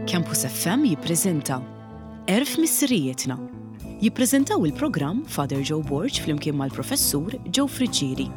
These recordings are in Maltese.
Campus FM jippreżenta Għerf Missirijietna. Jippreżentaw il-programm Father Joe Borg flimkien mal-Professur Joe Friggieri.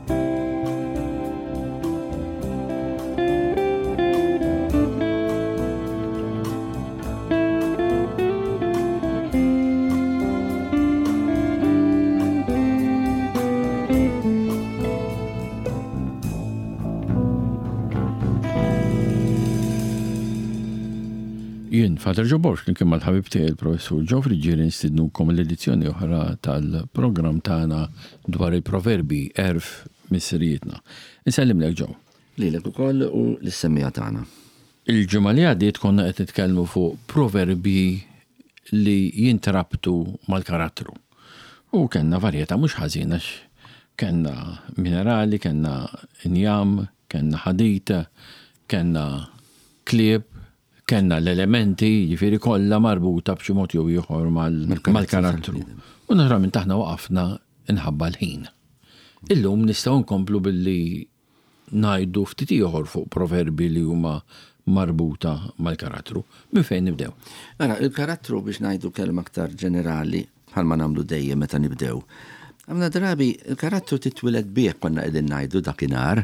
Jien, Father Joe Borg, flimkien mal-ħabib tiegħi il-Professur Joe Friggieri nistidnukom l-edizzjoni oħra tal-programm tagħna dwar il-proverbi għerf missirijietna. Insellimlek Joe. Lilek ukoll u lis-semmiegħa tagħna. Il-ġimgħa li għaddiet konna qed nitkellmu fuq proverbji li jintrabtu mal-karattru. U kellna varjetà mhux ħażin għax kellna minerali, kellna injam, kellna ħadid, kellna klieb, kellna l-elementi, jiġifieri kollha marbuta b'xi mod jew ieħor mal-karattru. U naturalment aħna waqafna inħabba l-ħin. Illum nistgħu nkomplu billi ngħidu ftit ieħor fuq proverbi li huma marbuta mal-karattru. Minn fejn nibdew? Ara, il-karattru biex ngħidu kelma aktar ġenerali, bħalma nagħmlu dejjem meta nibdew. Ħafna drabi il-karattru titwieled bih konna qegħdin ngħidu dakinhar,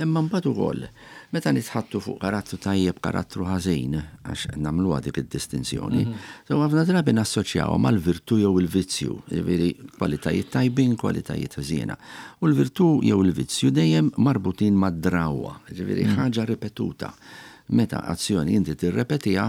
imma mbagħad ukoll meta nitħattu fuq karattru tajjeb, karattru ħażin, għax nagħmluha dik id-distinzjoni, so ħafna drabi nassoċjawha mal-virtù jew il-vizzju, jiġifieri kwalitajiet tajbin, kwalitajiet ħżiena. U l-virtù jew il-vizzju dejjem marbutin mad-drawwa, jiġifieri ħaġa ripetuta. Meta azzjoni inti tirrepetiha,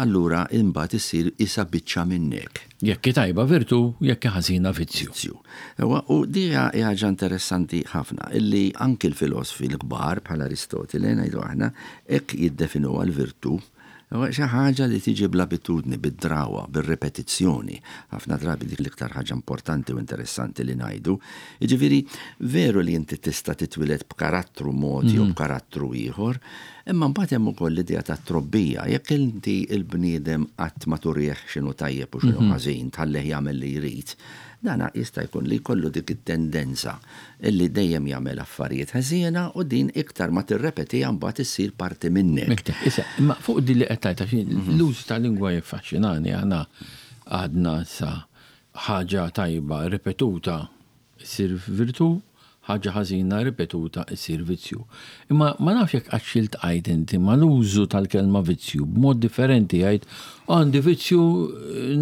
allura imbagħad issir qisha biċċa minnek. Jekk hi tajba virtù, jekk hi ħażina vizzju. Vizzju. Ewa, u di hija ħaġa interessanti ħafna, illi anki l-filosfi l-kbar bħal Aristotile, ngħidu aħna, hekk jiddefinuha l-virtù. Ewa, xi ħaġa li tiġi bl-abitudni, bid-drawwa, bir-ripetizzjoni. Ħafna drabi dik l-iktar ħaġa importanti u interessanti li ngħidu. Jiġifieri, veru li inti tista' titwieled b'karattru mod jew b'karattru ieħor, Imma mbagħad hemm ukoll l-idea tat-trobbija. Jekk inti l-bniedem qatt ma turih x'inhu tajjeb u x'inhu ħażin, tħallih jagħmel li jrid, dan jista' jkun li jkollu dik it-tendenza li dejjem jagħmel affarijiet ħżiena u din iktar ma tirrepetiha mbagħad issir parti minnek. Issa, imma fuq din li qed tgħid għax l-użu tal-lingwa jiffaxxinani aħna għadna issa ħaġa tajba ripetuta Issir virtù, ħaġa ħażina ripetuta issir vizzju. Imma ma nafx jekk qattx iltqajt inti mal-użu tal-kelma vizzju b'mod differenti jgħid għandi vizzju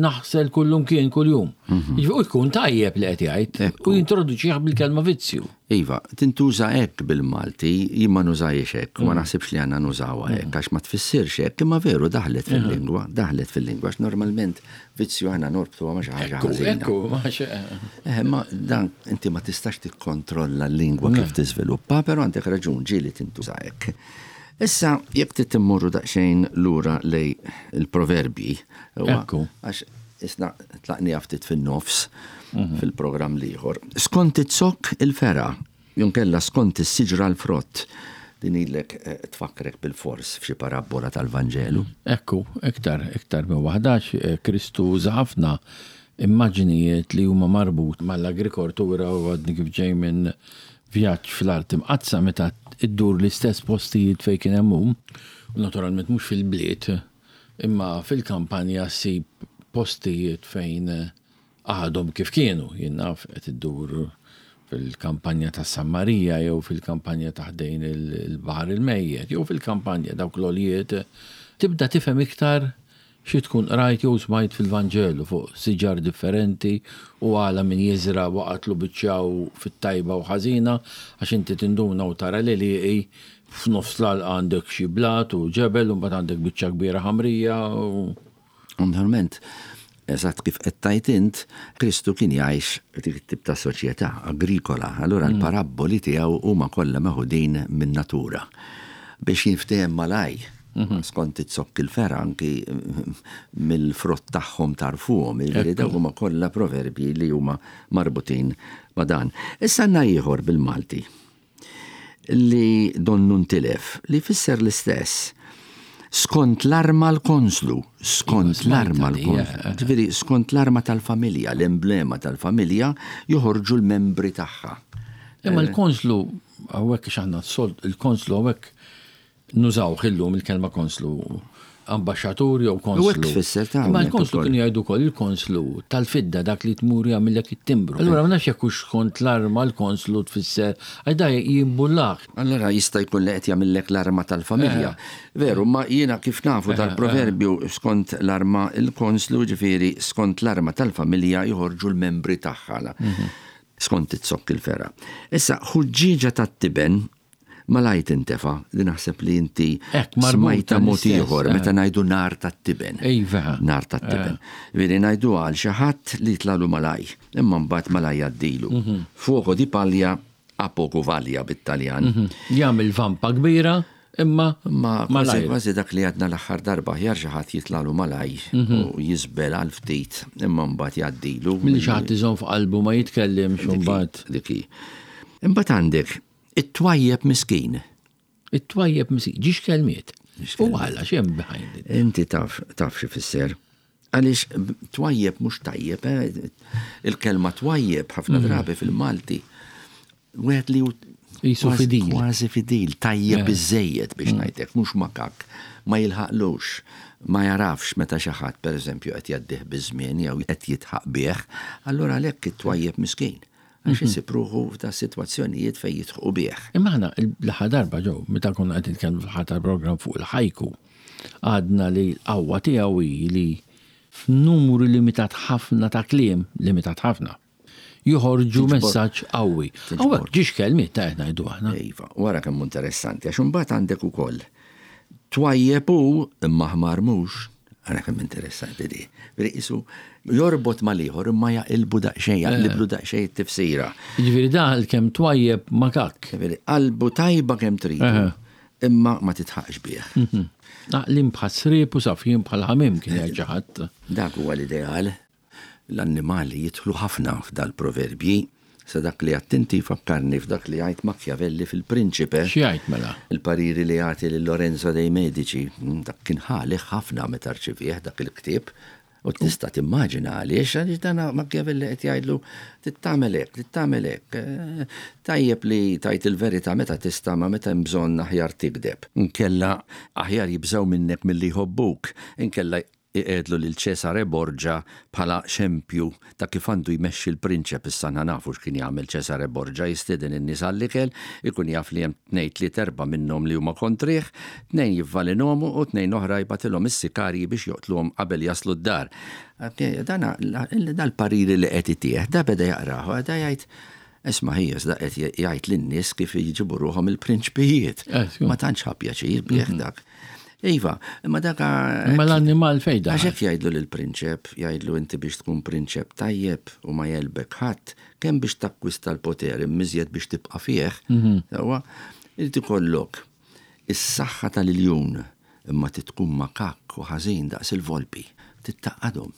naħsel kullumkien kuljum. Jiġifieri u jkun tajjeb li qed jgħid u jintroduċih bil-kelma vizzju. Iva, tintuża hekk bil-Malti, jien ma nużahiex hekk u ma naħsibx li għandna nużawha hekk għax ma tfissirx hekk, imma veru daħlet fil-lingwa, daħlet fil-lingwa għax normalment Vizzju aħna norbtuha ma' xi ħaġa ħażina. Ekku, ma' xi. Eh, ma dan inti ma tistax tikkontrolla l-lingwa kif tiżviluppa, però għandek raġun ġieli tintuża hekk. Issa, jekk trid immorru daqsxejn lura lej il-proverbji, Ekku. Għax isna tlaqniha ftit fin-nofs fil-programm l-ieħor. Skont iz-zokk il-fergħa, Jonkella skont is-siġra l-frott. Din ilek tfakkrek bilfors f'xi parabbola tal-Vanġelu. Ekku, iktar, iktar minn waħda għax Kristu uża ħafna immaġnijiet li huma marbut mal-agrikoltura u għadni kif ġej minn vjaġġ fl-Art Imqaddsa meta ddur l-istess postijiet fejn kien hemm hu, u naturalment mhux fil-bliet, imma fil-kampanja ssib postijiet fejn għadhom kif kienu, jien naf qed iddur fil-kampanja ta' San Marija jew fil-kampanja ta' ħdejn il-Baħar il-Mejjet jew fil-kampanja dawk l-għoljiet, tibda tifhem iktar xi tkun qrajt jew smajt fil-Vanġelu fuq siġar differenti u għala min jiżra' waqgħatlu biċċa u fit-tajba u ħażina għax inti tinduna u tara l-għelieqi f'nofs l-għalqa għandek xi blat u ġebel u mbagħad għandek biċċa kbira ħamrija u Naturalment, eżatt kif qed tgħid int, Kristu kien jgħix f'dik it-tip ta' soċjetà agrikola, allura l-parabboli tiegħu huma kollha meħudin min-natura biex jinftiehem malajr, skont iz-zokk il-fergħa anki mill-frott tagħhom tagħrfuhom, jiġifieri dawk huma kollha proverbji li huma marbutin ma' dan. Issa għandna ieħor bil-Malti. li donnu ntilef, li jfisser l-istess. Skont l-arma l-konslu, skont l-arma l-konslu. Ġifieri skont l-arma tal-familja, l-emblema tal-familja, joħorġu l-membri tagħha. Imma l-konslu hawnhekk għax aħna il-konslu hawnhekk nużawh illum il-kelma konslu. Ambaxxatur jew konslu. U hekk tfisser ta' Imma l-konslu kienu jgħidu wkoll il-konslu tal-fidda dak li tmur jagħmillek it-timbru. Allura ma nafx jekk hux skont l-arma l-konslu tfisser għax da jimbullak. Allura jista' jkun li qed jagħmillek l-arma tal-familja. Veru, ma jiena kif nafu tal-proverbju skont l-arma il-konslu ġifieri skont l-arma tal-familja joħorġu l-membri tagħha. Skont iz-zokk il-fergħa. Issa ħuġġieġa tat-tiben Malajr tintefa', li naħseb li inti smajtha mod ieħor meta ngħidu nar tat-tiben. Iva. Nar tat-tiben. Veri ngħidu għal xi ħadd li jitlalu malaj, imma mbagħad malaj jgħaddilu. Fuoco di paglia a poco vaglia bit-Taljan. Jagħmel vampa kbira imma Imma kważi kważi dak li għadna l-aħħar darba aħjar xi ħadd jitlalu malaj u jiżbel għal ftit imma mbagħad jgħaddilu. Milli xi ħadd iżomm f'qalbu ma jitkellimx u mbagħad. Dik hi. Imbagħad għandek It-twajjeb miskin. It-twajjeb miskin. Ġiex kelmiet. U għala x'hemm behind it? Inti taf taf xi fisser. Għaliex twajjeb mhux tajjeb, eh? il-kelma twajjeb ħafna mm. drabi fil-Malti. Wieħed li Jisu fidil. Kważi fidil, tajjeb eh. biżejjed biex mm. ngħidlek, mhux makak, ma jilħaqlux, ma jarafx meta xi ħadd pereżempju qed jaddih biż-żmien jew qed jitħaq bih, allura għalhekk it-twajjeb miskin. Għax isib ruħu f'da sitwazzjonijiet fejn jidħqu bih. Imma aħna l-aħħar darba ġew, meta konna qed nitkellmu fl-aħħar tal-programm fuq il-ħajku, għadna li l-qawwa tiegħu hi li f'numru limitat ħafna ta' kliem, limitat ħafna, joħorġu messaġġ qawwi. Hawnhekk ġiex kelmiet ta' qed ngħidu aħna. Iva, wara kemm hu interessanti għax imbagħad għandek ukoll twajjeb hu imma ħmar mhux. Ara kemm interessanti di. Veri qisu jorbot mal-ieħor imma jaqilbu daqsxejn, jaqliblu eh. daqsxejn it-tifsira. Jiġifieri daħal kemm twajjeb ma kak. Jiġifieri qalbu tajba kemm trid. Eh. Imma ma titħaqx bih. Mhm. Għaqlin bħal sriep u safjin bħal ħamim kien jgħid xi ħadd. Dak huwa l-ideal. L-annimali jidħlu ħafna f'dal-proverbji. Sa dak li għedt inti jfakkarni f'dak li jgħid Machiavelli f'Il-Prinċipe. X'jgħid mela? Il-pariri li jagħti lil Lorenzo dei Medici. Dak kien ħalih ħafna meta rċivieh dak il-ktieb. U tista' timmaġina għaliex, għaliex dan Machiavelli qed jgħidlu trid tagħmel hekk, trid tagħmel hekk. Tajjeb li tgħid il-verità meta tista' ma meta hemm bżonn aħjar tigdeb. Inkella aħjar jibżgħu minnek milli jħobbuk. Inkella Iqiegħdlu lil Cesare Borgia bħala xempju ta' kif għandu jmexxi l-prinċep, issa aħna nafu x'kien jagħmel Cesare Borgia, jistieden in-nies għall-ikel, ikun jaf li hemm tnejn, tliet, erbgħa minnhom li huma kontrih, tnejn jivvalinhom u tnejn oħra jibgħatilhom is-sikarji biex joqtluhom qabel jaslu d-dar. Dan dal-pariri li qed itih, da beda jaqrah u beda jgħid, Isma' ħija, iżda qed jgħid lin-nies kif jġibu ruħhom il-prinċpijiet. Ma tantx ħa pjaċir bih dak. Iva, imma dak. Imma l-annimal fejn daħal? Għax hekk jgħidlu lill-prinċep, jgħidlu inti biex tkun prinċep tajjeb u ma jegħlbek ħadd, kemm biex takkwista l-poter imma iżjed biex tibqa' fih, sewwa, irid ikollok is-saħħa tal-iljun, imma trid tkun makakk u ħażin daqs il-volpi. Trid tgħaqqadhom.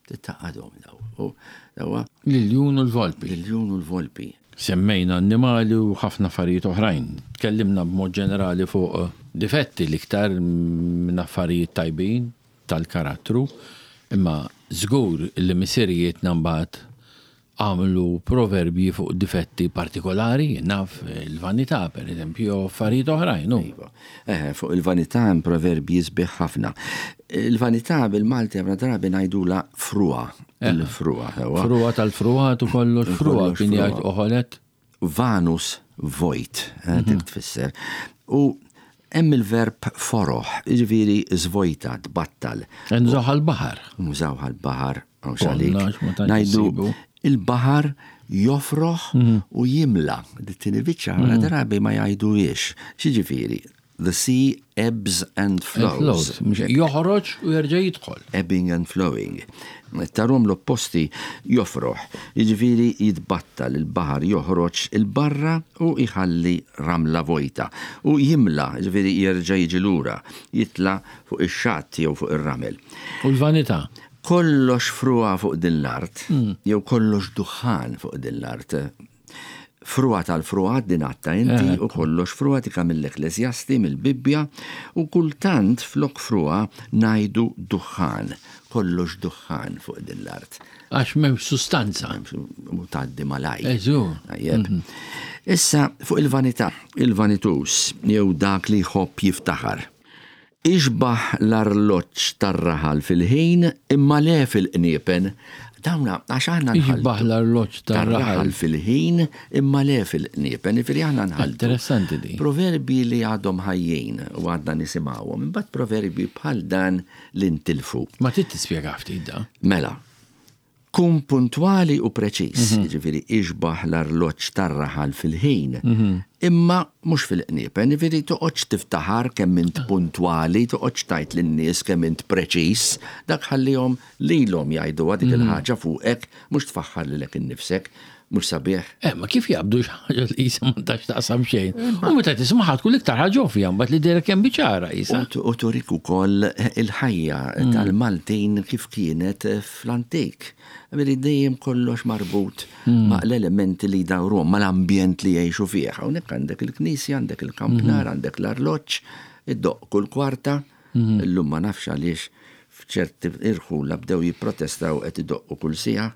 Trid tgħaqqadhom daw. U sewwa. L-iljun u l-volpi. L-iljun u l-volpi. Semmejna annimali u ħafna affarijiet oħrajn. Tkellimna b'mod ġenerali fuq difetti l-iktar minn affarijiet tajbin tal-karattru, imma żgur li missirijietna mbagħad għamlu proverbji fuq difetti partikolari, jien naf, il-vanità per eżempju, jew affarijiet oħrajn, hu. Iva. Eħe, fuq il-vanità hemm proverbji sbieħ ħafna. Il-vanità bil-Malti ħafna drabi ngħidulha frugħa. Il-frugħa, sewwa. Frugħa tal-frugħat u kollox frugħa kien jgħid Oħolet. Vanus vojt, dik tfisser. U hemm il-verb foroħ, jiġifieri żvojta, tbattal. Nużawh għall-baħar. Nużawh għall-baħar. Mhux għalik. Ngħidu il-baħar jofroħ mhm. u jimla. Dit-tieni biċċa ħafna mhm. drabi ma jgħiduhiex. X'jiġifieri? The sea ebbs and flows. Joħroġ u jerġa' jidħol. Ebbing and flowing. Tarom l-opposti jofroħ. Jiġifieri jitbattal il-baħar joħroġ il-barra u jħalli ramla vojta. U jimla, jiġifieri jerġa' jiġi lura, jitla fuq ix-xatt jew fuq ir-ramel. U l-vanità? Kollox frugħa fuq din l-art, jew kollox duħħan fuq din l-art. Frugħa tal-frugħat din għadtha inti u kollox frugħa dik mill-Ekkleżjasti, mill-Bibbja, u kultant flok frugħa ngħidu duħħan, kollox duħħan fuq din l-art. Għax m'hemmx sustanza. U tgħaddi malajr. Tajjeb. Issa fuq il-vanità, il-vanituż jew dak li jħobb jiftaħar. Ixbaħ l-arloġġ tar-raħal fil-ħin imma le fil-qniepen. Dawna, għax aħna nħalltu. Ixbaħ l-arloġġ tar-raħal. fil-ħin imma le fil-qniepen. Jiġifieri aħna nħalltu. Interessanti di. Proverbji li għadhom ħajjin u għadna nisimgħuhom, imbagħad proverbji bħal dan li ntilfu. Ma trid tispjega ftit da. Mela, kun puntwali u preċiż, jiġifieri ixbaħ l-arloġġ tar-raħal fil-ħin, imma mhux fil-qniepen, jiġifieri toqgħodx tiftaħar kemm int puntwali, toqgħodx tgħid lin-nies kemm int preċiż, dak ħallihom lilhom jgħiduha dik il-ħaġa fuqek, mhux tfaħħar lilek innifsek, mhux sabiħ. Eh, ma kif jaqbdu xi ħaġa li qisha m'għandha x'taqsam xejn. U meta tismagħha tkun l-iktar ħaġa ovvja mbagħad li dejra kemm biċara qisha. U turik ukoll il-ħajja tal-Maltin kif kienet fl-antik. Veri dejjem kollox marbut ma' l-elementi li jdawruhom, mal-ambjent li jgħixu fih. Hawnhekk għandek il-knisja, għandek il-kampnar, għandek l-arloġġ, iddoqq kull kwarta. Illum ma nafx għaliex f'ċerti irħula bdew jipprotestaw qed idoqqu kull siegħa.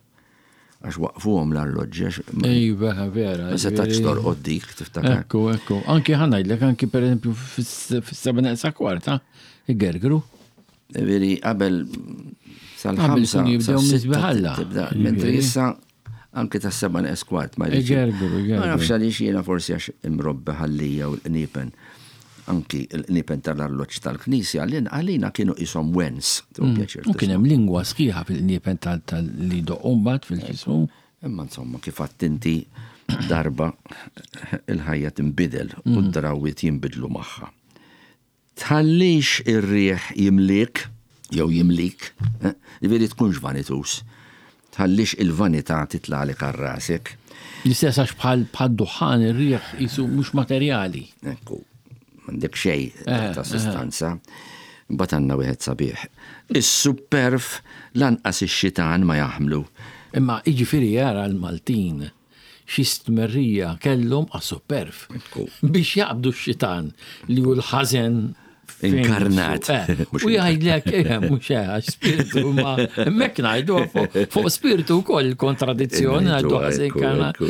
Għax waqfuhom l-arloġġi għax. Iva, vera. Ma setax torqod dik, tiftakar. Ekku, ekku. Anki ħa ngħidlek, anki pereżempju fis-seba' neqsa kwarta, igergru. Veri, qabel sal-ħamsa. Qabel jibdew misbiħalla. Mentri issa anki tas seba' neqs kwart ma jridx. Igergru, igergru. Ma nafx għaliex jiena forsi għax imrobbi ħallija u l-qniepen anki l-qniepen tal-arloġġ tal-knisja għalina kienu qishom wens. U kien hemm lingwa sħiħa fil-qniepen li jdoqqu mbagħad fil-ġismu. Imma insomma kif għedt inti darba il-ħajja tinbidel u d-drawwiet jinbidlu magħha. Tħallix ir-riħ jimliek jew jimlik, jiġifieri tkunx vanituż. Tħallix il-vanità titlagħlek għal rasek. L-istess għax bħal bħad-duħħan ir-riħ qisu mhux materjali. Ekku, m'għandek xejn ta' sustanza. Imbagħad għandna wieħed sabiħ. Is-supperv lanqas ix-xitan ma jaħmlu. Imma jiġifieri jara l-Maltin xi stmerrija kellhom għas-supperv. Biex jaqbdu x-xitan li hu l-ħażen Inkarnat. Eh, u jgħidlek, eh, mhux eh, għax spiritu ma hemmhekk ngħidu fuq spiritu wkoll kontradizzjoni ngħidu ħażin inkarnat.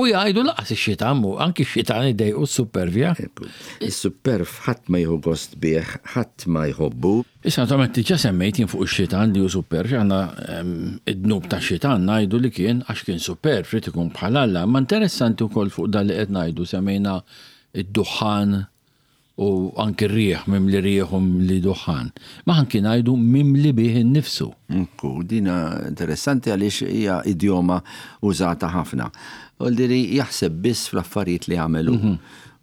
U jgħidu laqas ix-xitan mu, anki x-xitan idejqu s-supervja. Is-superv ħadd ma jieħu gost bih, ħadd ma jħobbu. Issa naturalment diġà semmejt jien fuq ix-xitan li hu superv, aħna id-dnub tax-xitan ngħidu li kien għax kien superv, ried ikun bħal Alla, imma interessanti wkoll fuq dan li qed ngħidu semmejna d-duħħan u anki r-riħ, mimli riħ u mimli duħħan. Ma anki ngħidu mimli bih innifsu. Ekku, din interessanti għaliex hija idjoma użata ħafna. Vuol jaħseb biss fl-affarijiet li għamel hu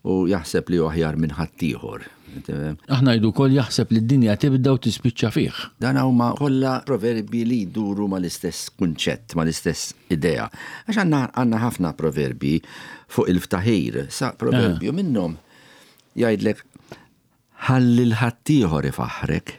u jaħseb li hu aħjar minn ħaddieħor. Aħna ngħidu wkoll jaħseb li d-dinja tibda u tispiċċa fih. Dan huma kollha proverbji li jduru mal-istess kunċett, mal-istess idea. Għax għandna għandna ħafna proverbji fuq il-ftaħir. Sa proverbju minnhom jgħidlek ħalli l-ħaddieħor ifaħħrek.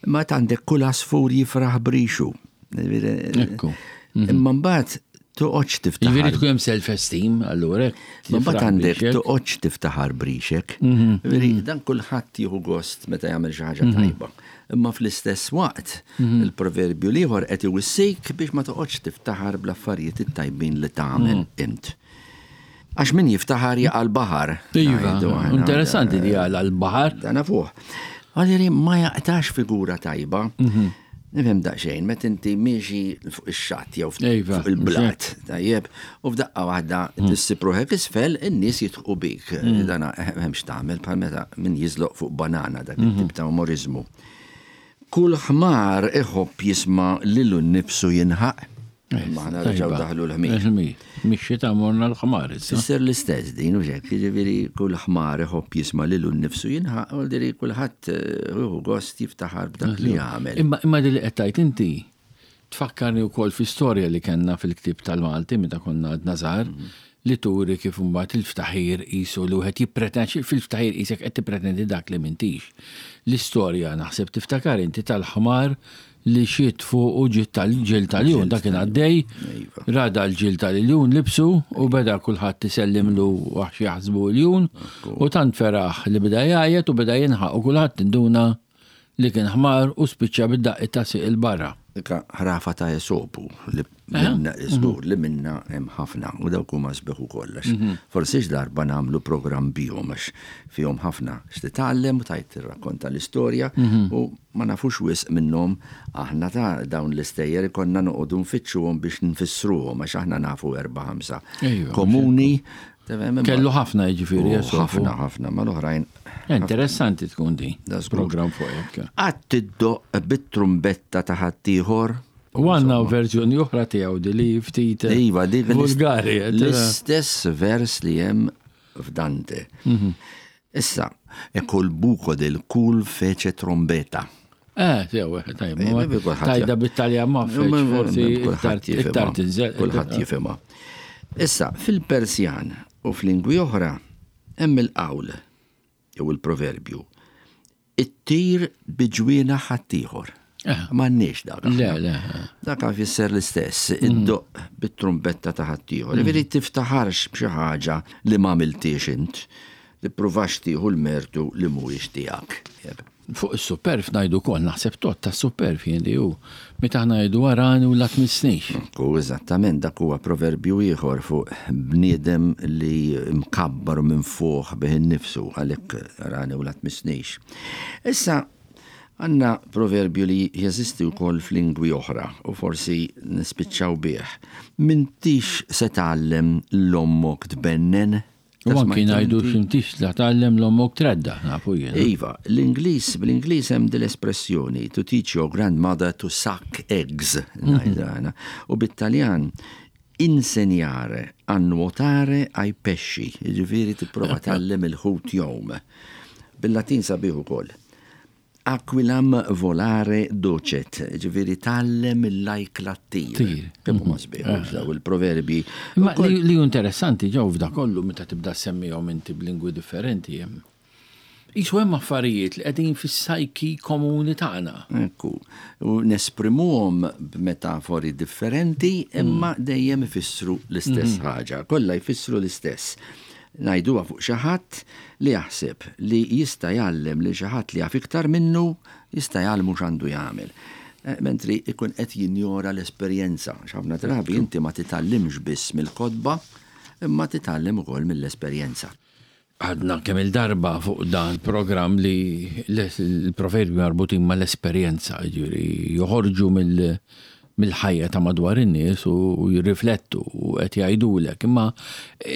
Ma għandek kull għasfur jifraħ brixu. Ekku. Imma mbagħad toqgħodx tiftaħar. Jiġifieri tkun hemm self-esteem allura. Ma mbagħad għandek toqgħodx tiftaħar brixek. Jiġifieri dan kulħadd jieħu gost meta jagħmel xi ħaġa tajba. Imma fl-istess waqt il-proverbju l-ieħor qed iwissik biex ma toqgħodx tiftaħar bl-affarijiet it-tajbin li tagħmel int. Għax min jiftaħar jaqa' l-baħar. Iva, interessanti li jaqa' l-baħar. Dan nafuh. Għaliri ma jaqtax figura tajba. Mhm. Nifhem daqsxejn, meta inti miexi fuq ix-xatt jew iva, fuq il-blat, tajjeb, u f'daqqa waħda mm. tissib ruħek isfel, in-nies jitħu bik. Mm. Dan hemmx tagħmel bħal meta min jiżloq fuq banana dak it-tip mhm. ta' umorizmu. Kull ħmar iħobb jisma' lilu nnifsu jinħaq. Imma aħna reġgħu daħlu l-ħmir. Il-ħmir. Mix-xita morna l-ħmar issa. Fisser l-istess din u xek, jiġifieri kull ħmar iħobb jisma' lilu nnifsu jinħaq, u diri kulħadd eh, jieħu gost jiftaħar b'dak li jagħmel. Imma imma li qed tgħid inti tfakkarni wkoll fi storja li kellna fil-ktieb tal-Malti meta konna għadna żgħar mhm. li turi kif imbagħad il-ftaħir qisu li wieħed jippretendi fil-ftaħir qisek qed tippretendi dak li m'intix. L-istorja naħseb tiftakar inti tal-ħmar li xiet fuqu ġiet tal-ġild tal-iljun, dak kien għaddej, Iva. ra dal-ġild tal-iljun libsu u beda kulħadd isellimlu għax jaħsbu iljun u tant feraħ li beda jgħajjat u beda jinħaq u kulħadd induna li kien ħmar u spiċċa bid-daqqiet ta' sieq 'il barra. Dika ħrafa ta' Esopu li minna żgur li minna hemm ħafna u dawk huma sbieħ ukoll għax forsi x'darba nagħmlu programm bihom għax fihom ħafna x'titgħallem u tgħid tirrakkonta l-istorja u ma nafux wisq minnhom aħna ta' dawn l-istejjer ikollna noqogħdu nfittxuhom biex nfissruhom għax aħna nafu erba' ħamsa komuni. Kellu ħafna jiġifieri. Ħafna ħafna mal-oħrajn. Interessanti tkun di. Program fuq hekk. Qatt tiddoq bit-trumbetta ta' ħaddieħor. U għandna verżjoni oħra tiegħu di li ftit iva, di vulgari. L-istess vers li hemm f'Dante. Mhm. Issa, e col buco del cul fece trombetta. Eh, sew, tajba. Tajda bit-Taljan ma forsi iktar tinżel. Kulħadd jifhimha. Issa, fil-Persjan u f'lingwi oħra hemm il-qawl jew il-proverbju ittir bi ġwienaħ ħaddieħor. Eh. M'għandniex dak. Le, le. Dak jfisser l-istess, mm. iddoq bit-trumbetta ta' ħaddieħor. Mm. Ġifieri tiftaħarx b'xi ħaġa li m'għamiltiex int, tippruvax tieħu l-mertu li mhuwiex tiegħek. Fuq is-superf ngħidu wkoll, naħseb tgħodd tas-superf jien li hu meta aħna ngħidu arani u la tmissnix. U eżattament dak huwa proverbju ieħor fuq bniedem li mkabbar u minfuħ bih innifsu għalhekk arani u la tmissnix. Issa għandna proverbju li jeżisti wkoll f'lingwi oħra u forsi nispiċċaw bih. M'intix se tgħallem 'l ommok tbennen? U anki ngħidu x'intix la tgħallem l-ommok tredda, nafu jien. Iva, l-Ingliż, bl-Ingliż hemm din l-espressjoni to teach your grandmother to suck eggs, ngħidha U bit-Taljan insegnare a nuotare ai pesci, jiġifieri tipprova tgħallem il-ħut jgħum. Bil-Latin sabiħ ukoll. Aquilam volare docet, ġifieri tgħallem il-lajkla ttir. Kemm huma sbieħ eh. daw il-proverbi. Ma li hu interessanti ġew f'da kollu meta tibda semmihom inti b'lingwi differenti hemm. Isu hemm affarijiet li qegħdin fis-sajki komuni tagħna. Ekku. U nesprimuhom b'metafori differenti imma mm. dejjem ifissru l-istess mm-hmm. ħaġa. Kollha jfissru l-istess. Ngħiduha fuq xi ħadd li jaħseb li jista' jgħallem lil xi ħadd li jaf iktar minnu, jista' jgħallmu x'għandu jagħmel. Mentri jkun qed jinjora l-esperjenza. Għax ħafna drabi inti ma titgħallimx biss mill-kotba, imma titgħallem ukoll mill-esperjenza. Għadna kemm-il darba fuq dan programm li l-proverbji marbutin mal-esperjenza, jiġifieri joħorġu mill mill-ħajja ta' madwar in-nies u jirriflettu u qed jgħidulek. Imma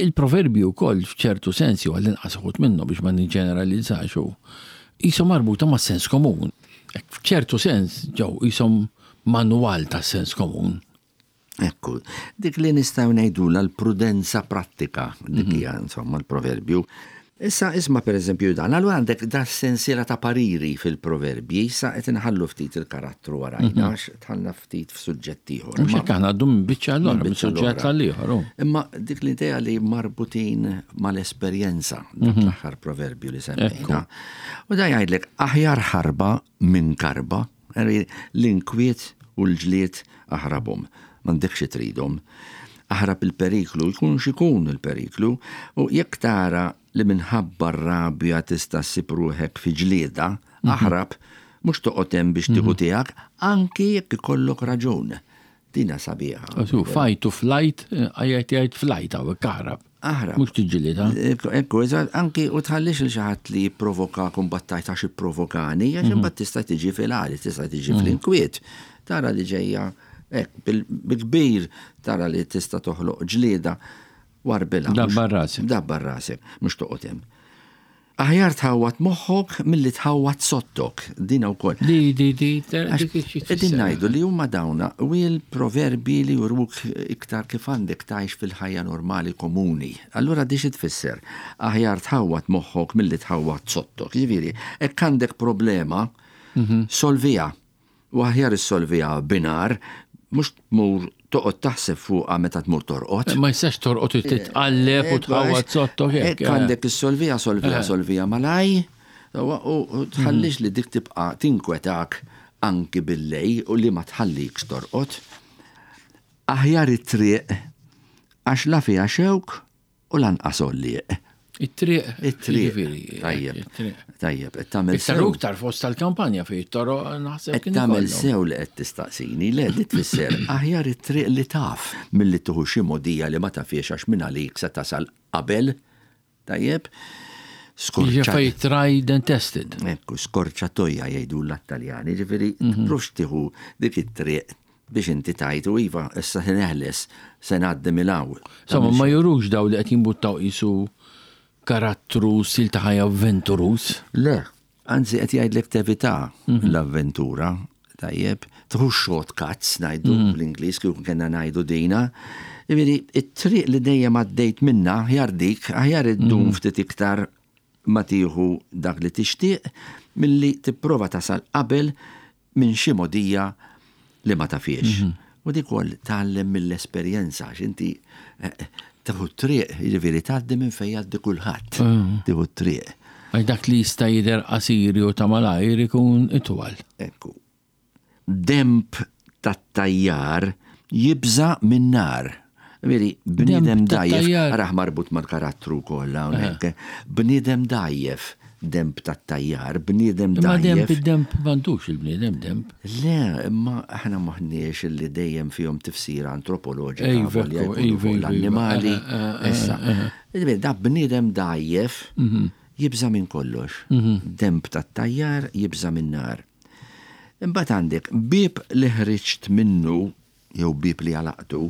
il-proverbji wkoll f'ċertu sens jew għall-inqas uħud minnhom biex ma niġġeneralizzax hu qishom marbuta mas-sens komun. F'ċertu sens ġew qishom manwal tas-sens komun. Ekku, dik li nistgħu ngħidulha l-prudenza prattika, dik mhm. hija insomma l-proverbju. Issa isma' pereżempju dan, allura għandek da sensiela ta' pariri fil-proverbji, issa qed inħallu ftit il-karattru warajna, mhm. għax tħallna ftit f'suġġett ieħor. Mhux hekk aħna għaddu minn biċċa l minn suġġett għal ieħor. Imma dik l-idea li marbutin mal-esperjenza, dak mhm. l-aħħar proverbju li semmejna. U da jgħidlek aħjar ħarba minn karba. L-inkwiet u l-ġlied aħrabhom, m'għandekx xi tridhom. Aħrab il-periklu, jkun x'ikun il-periklu, u jekk tara li minħabba r-rabja tista' ssib ruħek fi ġlieda, aħrab, mhux toqgħod hemm biex tieħu tiegħek, anki jekk ikollok raġun. Din hija sabiħa. Su, fight to flight, għajajt jgħid flight hawnhekk aħrab. Aħrab. Mhux tiġġieled, ha? Ekku, eżatt, anki u tħallix lil xi ħadd li jipprovokak u mbagħad tgħid għax ipprovokani, għax mhm. imbagħad tista' tiġi fil-għali, tista' tiġi mhm. fl-inkwiet. Tara li ġejja hekk bil-kbir tara li tista' toħloq ġlieda warbilha. Dabbar rasek. Dabbar rasek, mhux toqgħod hemm. Aħjar tħawwad moħħok milli tħawwad sottok. Dina wkoll. Di, di, di, Qegħdin ngħidu li huma dawna u l-proverbi li juruk iktar kif għandek tgħix fil-ħajja normali komuni. Allura di xi tfisser? Aħjar tħawwad moħħok milli tħawwad sottok. Jiġifieri, hekk għandek problema, mhm. solviha. U aħjar issolviha binhar, mhux tmur toqgħod taħseb fuqha meta tmur torqod. Ma jistax torqod u titqalleb u tħawwad sottok hekk. Hekk għandek issolviha, solviha, solviha malaj, u tħallix li dik tibqa' tinkwetak anki billejl u li ma tħallikx torqod. Aħjar it-triq għax la fiha xewk u lanqas għollieq. It-triq. It-triq. Tajjeb. Tajjeb, qed tagħmel sew. Iktar iktar fost tal-kampanja fejn it-toroq naħseb. Qed tagħmel sew li qed tistaqsini, le li tfisser aħjar it-triq li taf milli tieħu xi mogħdija li ma tafhiex għax minn għalik se tasal qabel. Tajjeb. Skorċa. Tried and tested. Ekku, skorċatoja jgħidu l-Taljani, ġifieri tprux tieħu dik it-triq biex inti tgħid u iva, issa se neħles, se ngħaddi minn hawn. Insomma, ma jurux daw li qed jimbuttaw qisu karattru stil ta' ħajja avventuruż. Le, anzi qed jgħidlek tevita mhm. l-avventura, tajjeb, tħu shortcuts ngħidu mhm. bl-Ingliż kieku kellna ngħidu dina. Jiġifieri, it-triq li dejjem għaddejt minna aħjar dik, aħjar iddum mhm. ftit iktar ma tieħu dak li tixtieq milli tipprova tasal qabel minn xi mogħdija li ma tafhiex. Mhm. U dik ukoll tgħallem mill-esperjenza għax inti eh, eh, tieħu triq, jiġifieri tgħaddi minn fejn jgħaddi kulħadd. Mhm. Tieħu triq. Għax dak li jista' jidher qasir jew ta' malajr ikun itwal. Ekku. Demp tat-tajjar jibża' min-nar. Veri, bniedem dgħajjef, arah marbut mal-karattru wkoll hawnhekk. Bniedem dgħajjef, demp tat-tajjar, bniedem dgħajjef. Imma demp id-demp m'għandux il-bniedem demp. Le, imma aħna m'aħniex illi dejjem fihom tifsira antropoloġika volja jkunu fuq l-annimali. Issa, da bniedem dgħajjef jibża' minn kollox. Demp tat-tajjar jibża' min-nar. Imbagħad għandek bieb li ħriġt minnu jew bieb li għalaqtu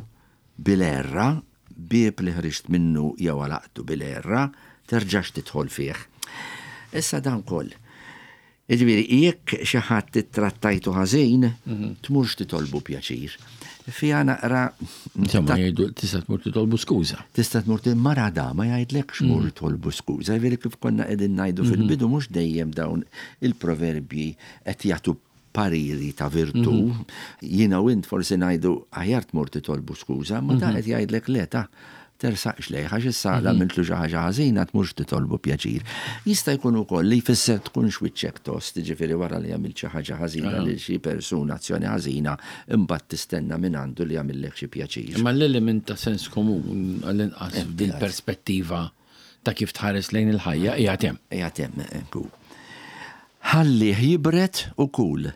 bil-għerra, bieb li ħriġt minnu jew għalaqtu bil-għerra, terġax tidħol fih. Issa dan koll. Jiġifieri jekk xi ħadd ittrattajtu ħażin, mhm. tmurx titolbu pjaċir. Fiha naqra. Insomma, jgħidu tista' tmur titolbu skuża. Tista' tmur mara da ma jgħidlekx mur mhm. tolbu skuża. Jiġifieri kif konna qegħdin ngħidu mhm. fil-bidu mhux dejjem dawn il-proverbji qed jagħtu pariri ta' virtù, jiena u int forsi ngħidu aħjar tmur titolbu skuża, imma dan qed jgħidlek le ta' tersaqx lejh għax issa la għamiltlu xi ħaġa ħażina tmurx titolbu pjaċir. Jista' jkun ukoll li jfisser tkunx wiċċek tost, jiġifieri wara li għamilt xi ħaġa ħażina lil xi persuna azzjoni ħażina, imbagħad tistenna mingħandu li jagħmillek xi pjaċir. Imma l-element ta' sens komun, għall-inqas f'dil-perspettiva ta' kif tħares lejn il-ħajja, qiegħed hemm. Qiegħed hemm, ekku. Ħallih jibred u kul.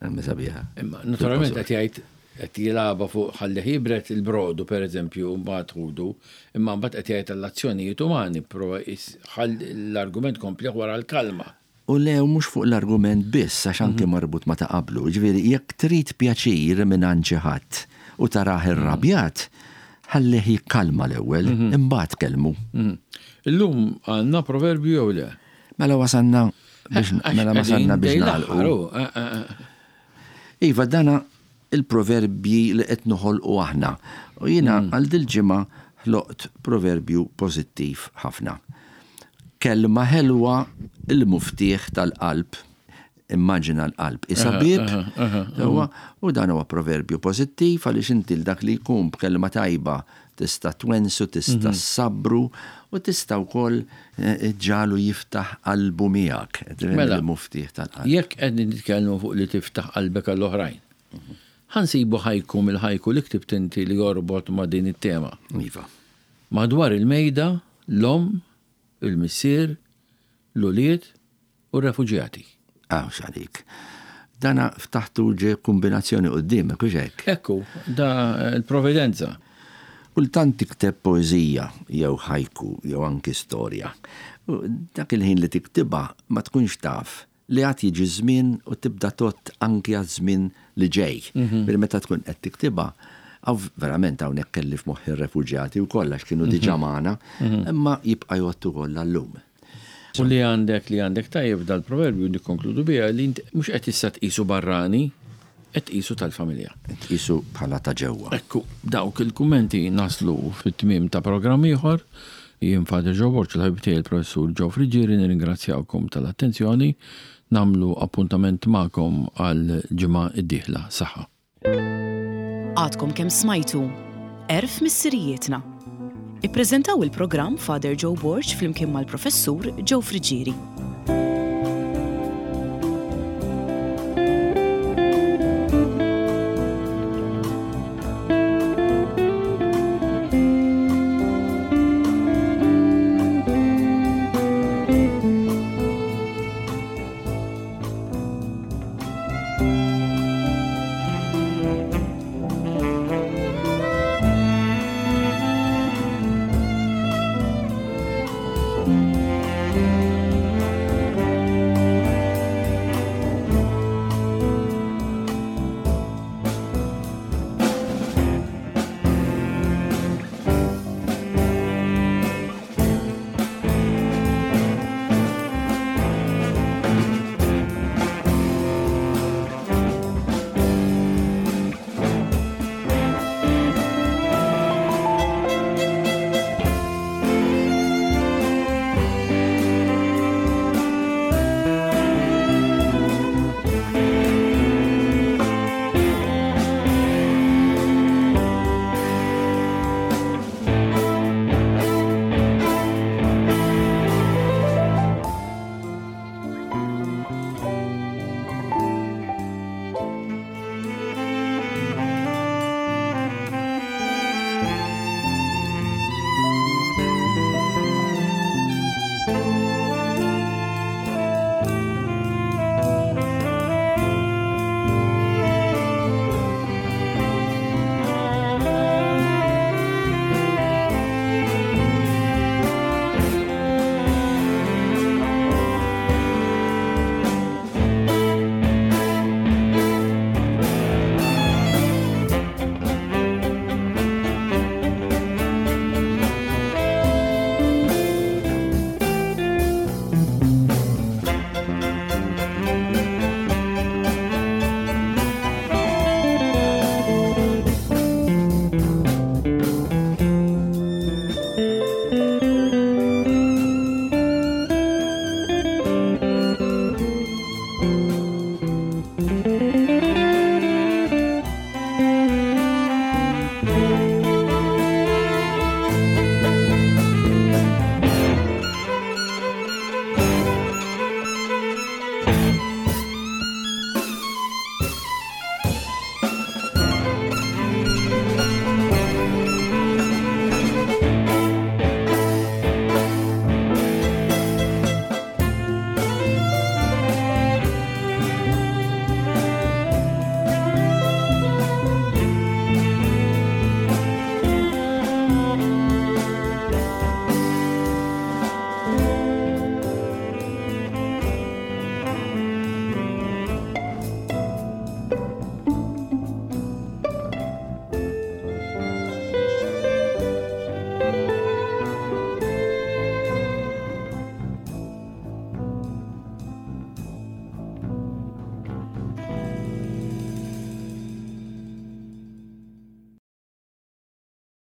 Hemm sabiħa. Imma naturalment qed jgħid qed jilgħabha fuq ħallih jibred il-brodu pereżempju mbagħad ħudu, imma mbagħad qed jgħid għall-azzjonijiet umani, prova l-argument komplih wara l-kalma. U le, u mhux fuq l-argument biss, għax anki marbut ma' ta' qablu. Jiġifieri jekk trid pjaċir mingħand xi ħadd u tarah irrabjat, ħallih jikkalma l-ewwel, imbagħad kellmu. Illum għandna proverbju jew le? Mela wasalna biex mela wasalna biex nagħlqu. Eh, eh, eh. Iva, dana il-proverbji li qed noħolqu aħna. U jiena mm. għal dil-ġimgħa ħloqt proverbju pożittiv ħafna. Kelma ħelwa il-muftieħ tal-qalb immaġina l-qalb isa bib, u dan huwa proverbju pożittiv għaliex inti dak li jkun b'kelma tajba Tista' twensu, tista' ssabbru u tista' wkoll iġġagħlu jiftaħ qalbu miegħek. Mela, il-muftieħ tal-qalb. Jekk qegħdin nitkellmu fuq li tiftaħ qalbek għall-oħrajn, ħa nsibu ħajku mill-ħajku li ktibt inti li jorbot ma' din it-tema. Iva. Madwar il-mejda, l-omm, il-missier, l-ulied u r-refuġjati. Hawn x'għalik. Dana ftaħtu ġe kumbinazzjoni quddiemek, hux hekk? Hekk hu, da l-providenza. Kultant tikteb poeżija jew ħajku jew anki storja. U dak il-ħin li tiktibha ma tkunx taf li għad jiġi żmien u tibda tgħodd anki għaż-żmien li ġej. Ġifieri meta tkun qed tiktibha, hawn verament hawnhekk kelli f'moħħi r-refuġjati wkoll għax kienu diġà magħna, imma jibqa' jgħodd ukoll għal-lum. U li għandek li għandek tajjeb f'dal-proverbju nikkonkludu biha li int mhux qed issa tqisu barrani, qed tqisu tal-familja. Qed tqisu bħala ta' ġewwa. Ekku, b'dawk il-kummenti naslu fit-tmiem ta' programm ieħor. Jien Father Joe Borg u l-ħabib tiegħi l-Professur Joe Friggieri nirringrazzjawkom tal-attenzjoni. Nagħmlu appuntament magħkom għall-ġimgħa d-dieħla. Saħħa. Għadkom kemm smajtu Għerf Missirijietna. Ippreżentaw il-programm Father Joe Borg flimkien mal-Professur Joe Friggieri.